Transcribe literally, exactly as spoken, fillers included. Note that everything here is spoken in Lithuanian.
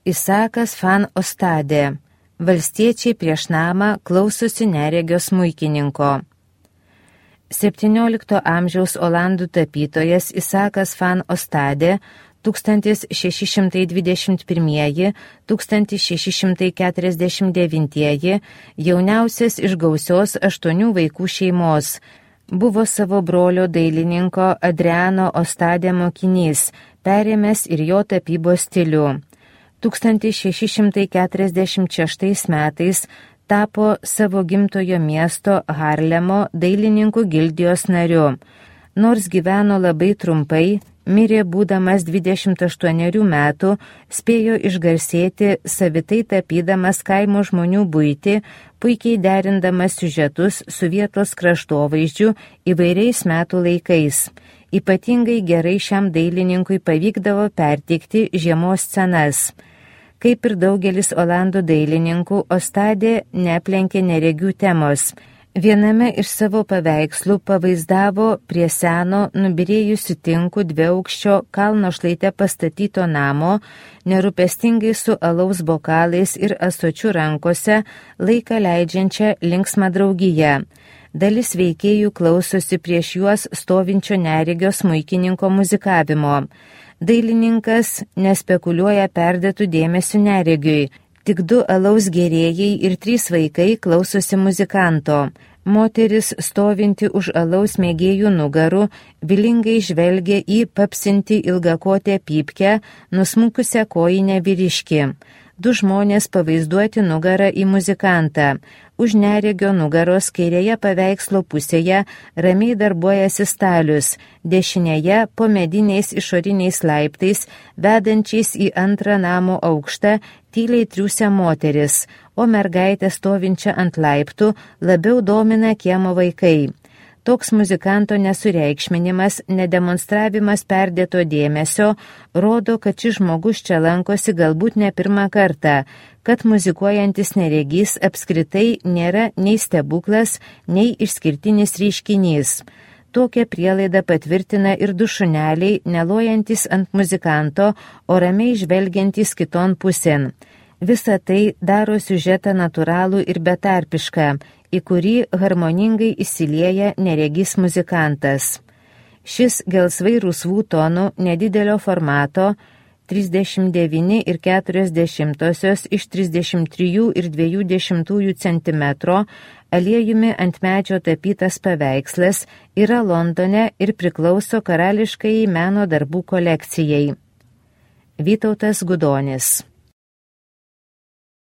Isakas van Ostade. Valstiečiai prieš namą klausosi neregio smuikininko. septyniolikto amžiaus olandų tapytojas Isakas van Ostade tūkstantis šeši šimtai dvidešimt pirmieji - tūkstantis šeši šimtai keturiasdešimt devintieji jauniausias iš gausios aštuonių vaikų šeimos. Buvo savo brolio dailininko Adriano Ostade mokinys, perėmęs ir jo tapybos stilių. tūkstantis šeši šimtai keturiasdešimt šeštais metais tapo savo gimtojo miesto Harlemo dailininkų gildijos nariu. Nors gyveno labai trumpai, mirė būdamas dvidešimt aštuonerių metų, spėjo išgarsėti savitai tapydamas kaimo žmonių buitį, puikiai derindamas siužetus su vietos kraštovaizdžiu įvairiais metų laikais. Ypatingai gerai šiam dailininkui pavykdavo perteikti žiemos scenas. Kaip ir daugelis olandų dailininkų, Ostade neaplenkė neregių temos. Viename iš savo paveikslų pavaizdavo prie seno nubyrėjusių tinkų dviaukščio kalno šlaite pastatyto namo, nerūpestingai su alaus bokalais ir ąsočiu rankose laiką leidžiančią linksmą draugiją. Dalis veikėjų klausosi prieš juos stovinčio neregio smuikininko muzikavimo. Dailininkas nespekuliuoja perdėtų dėmesių neregiui. Tik du alaus gėrėjai ir trys vaikai klausosi muzikanto. Moteris stovinti už alaus mėgėjų nugarų vilingai žvelgia į papsinti ilgakotę pypkę, nusmukusią kojinę vyriškį. Du žmonės pavaizduoti nugarą į muzikantą. Už neregio nugaros kairėje paveikslo pusėje ramiai darbuojasi stalius, dešinėje po mediniais išoriniais laiptais, vedančiais į antrą namo aukštą, tyliai triūsia moteris, o mergaitė stovinčia ant laiptų labiau domina kiemo vaikai. Toks muzikanto nesureikšminimas, nedemonstravimas perdėto dėmesio rodo, kad šis žmogus čia lankosi galbūt ne pirmą kartą, kad muzikuojantis neregys apskritai nėra nei stebuklas, nei išskirtinis reiškinys. Tokią prielaidą patvirtina ir du šuneliai, nelojantis ant muzikanto, o ramiai žvelgiantys kiton pusėn. Visa tai daro siužetą natūralų ir betarpišką, į kurį harmoningai įsilieja neregys muzikantas. Šis gelsvai rusvų tonų nedidelio formato trisdešimt devyni ir keturios dešimtosios iš trisdešimt trijų ir dviejų dešimtųjų centimetro aliejumi ant medžio tapytas paveikslas yra Londone ir priklauso karališkai meno darbų kolekcijai. Vytautas Gudonis.